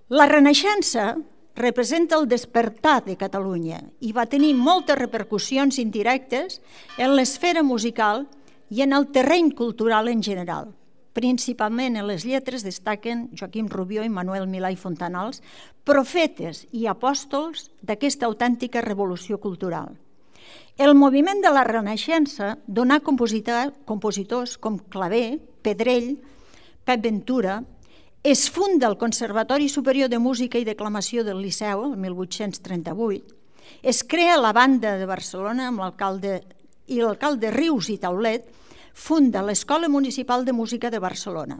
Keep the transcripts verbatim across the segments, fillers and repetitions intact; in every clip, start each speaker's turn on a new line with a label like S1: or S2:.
S1: La Renaixença representa el despertar de Catalunya i va tenir moltes repercussions indirectes en l'esfera musical i en el terreny cultural en general. Principalment en les lletres destaquen Joaquim Rubió i Manuel Milà i Fontanals, profetes i apòstols d'aquesta autèntica revolució cultural. El moviment de la Renaixença donà compositors com Clavé, Pedrell, Pep Ventura. Es funda el Conservatori Superior de Música i Declamació del Liceu, el mil vuit-cents trenta-vuit. Es crea la Banda de Barcelona amb l'alcalde i l'alcalde Rius i Taulet funda l'Escola Municipal de Música de Barcelona.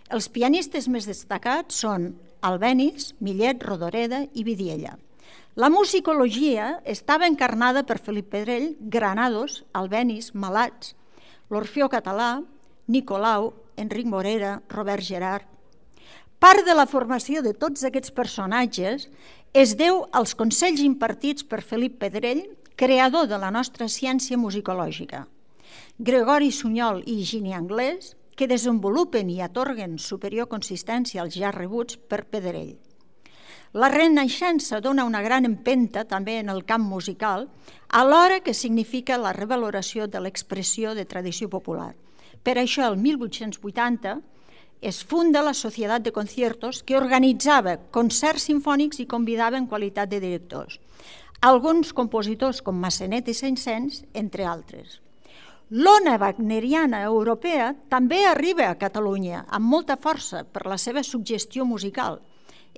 S1: Els pianistes més destacats són Albéniz, Millet, Rodoreda i Vidiella. La musicologia estava encarnada per Felip Pedrell, Granados, Albéniz, Malats, l'Orfeó Català, Nicolau, Enric Morera, Robert Gerard. Part de la formació de tots aquests personatges es deu als consells impartits per Felip Pedrell, creador de la nostra ciència musicològica. Gregori Sunyol i Higini Anglès, que desenvolupen i atorguen superior consistència als ja rebuts per Pedrell. La Renaixença dona una gran empenta també en el camp musical, alhora que significa la revaloració de l'expressió de tradició popular. Per això, el mil vuit-cents vuitanta, es funda la Societat de Conciertos, que organitzava concerts simfònics i convidava en qualitat de directors. Alguns compositors com Massenet i Saint-Saëns, entre altres. L'ona wagneriana europea també arriba a Catalunya amb molta força per la seva suggestió musical,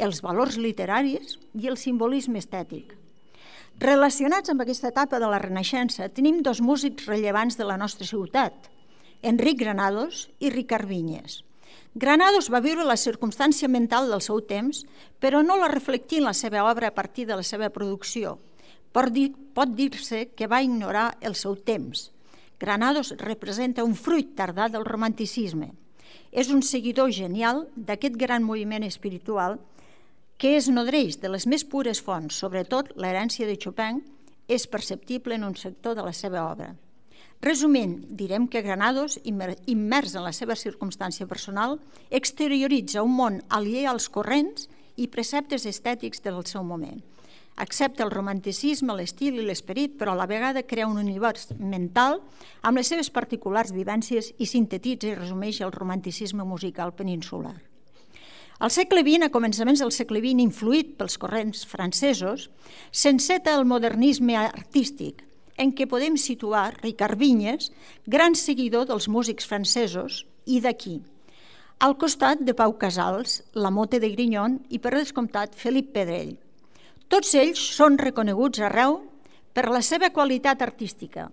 S1: els valors literaris i el simbolisme estètic. Relacionats amb aquesta etapa de la Renaixença, tenim dos músics rellevants de la nostra ciutat, Enric Granados i Ricard Vinyes. Granados va viure la circumstància mental del seu temps, però no la reflectí en la seva obra a partir de la seva producció. Pot dir-se que va ignorar el seu temps. Granados representa un fruit tardà del romanticisme. És un seguidor genial d'aquest gran moviment espiritual que es nodreix de les més pures fonts, sobretot l'herència de Chopin, és perceptible en un sector de la seva obra. Resumint, direm que Granados, immers en la seva circumstància personal, exterioritza un món aliè als corrents i preceptes estètics del seu moment. Accepta el romanticisme, l'estil i l'esperit, però a la vegada crea un univers mental amb les seves particulars vivències i sintetitza i resumeix el romanticisme musical peninsular. Al segle vint, a començaments del segle vint, influït pels corrents francesos, s'enceta el modernisme artístic, en què podem situar Ricard Vinyes, gran seguidor dels músics francesos, i d'aquí. Al costat de Pau Casals, la Motte de Grignon i, per descomptat, Felip Pedrell. Tots ells són reconeguts arreu per la seva qualitat artística.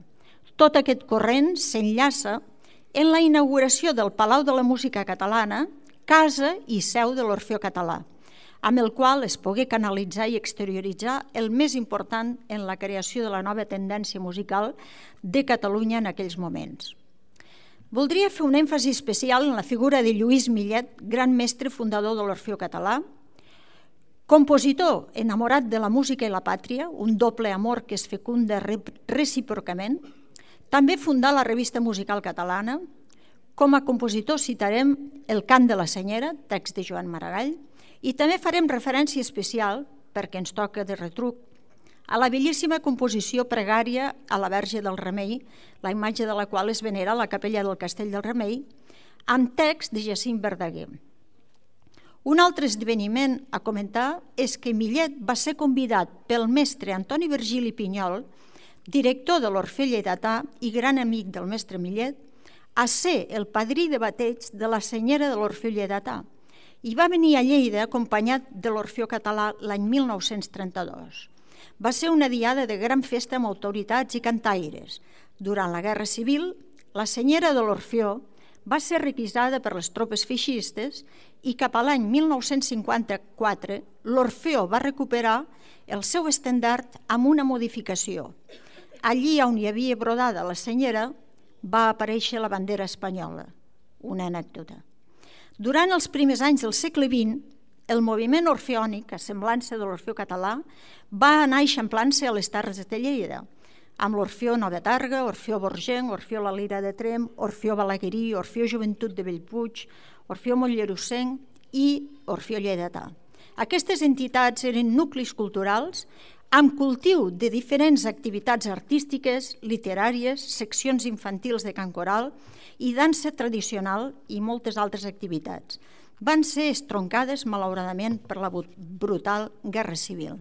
S1: Tot aquest corrent s'enllaça en la inauguració del Palau de la Música Catalana, casa i seu de l'Orfeó Català, amb el qual es pogué canalitzar i exterioritzar el més important en la creació de la nova tendència musical de Catalunya en aquells moments. Voldria fer un èmfasi especial en la figura de Lluís Millet, gran mestre fundador de l'Orfeó Català, compositor enamorat de la música i la pàtria, un doble amor que es fecunda recíprocament. També fundà la Revista Musical Catalana. Com a compositor citarem El cant de la senyera, text de Joan Maragall, i també farem referència especial, perquè ens toca de retruc, a la bellíssima composició pregària a la Verge del Remei, la imatge de la qual es venera a la capella del Castell del Remei, amb text de Jacint Verdaguer. Un altre esdeveniment a comentar és que Millet va ser convidat pel mestre Antoni Virgili Pinyol, director de l'Orfeó Lleidatà i gran amic del mestre Millet, a ser el padrí de bateig de la senyera de l'Orfeó Lleidatà, i va venir a Lleida acompanyat de l'Orfeó Català l'any mil nou-cents trenta-dos. Va ser una diada de gran festa amb autoritats i cantaires. Durant la Guerra Civil, la senyera de l'Orfeó va ser requisada per les tropes feixistes i cap a l'any mil nou-cents cinquanta-quatre l'Orfeó va recuperar el seu estendard amb una modificació. Allí on hi havia brodada la senyera va aparèixer la bandera espanyola. Una anècdota. Durant els primers anys del segle vint, el moviment orfeònic, a semblança de l'Orfeó Català, va anar eixamplant-se a les Terres de Lleida, amb l'Orfeó Nova Targa, Orfeó Borgenc, Orfeó La Lira de Tremp, Orfeó Balaguerí, Orfeó Joventut de Bellpuig, Orfeó Mollerusenc i Orfeó Lleidatà. Aquestes entitats eren nuclis culturals amb cultiu de diferents activitats artístiques, literàries, seccions infantils de cant coral i dansa tradicional i moltes altres activitats. Van ser estroncades, malauradament, per la brutal Guerra Civil.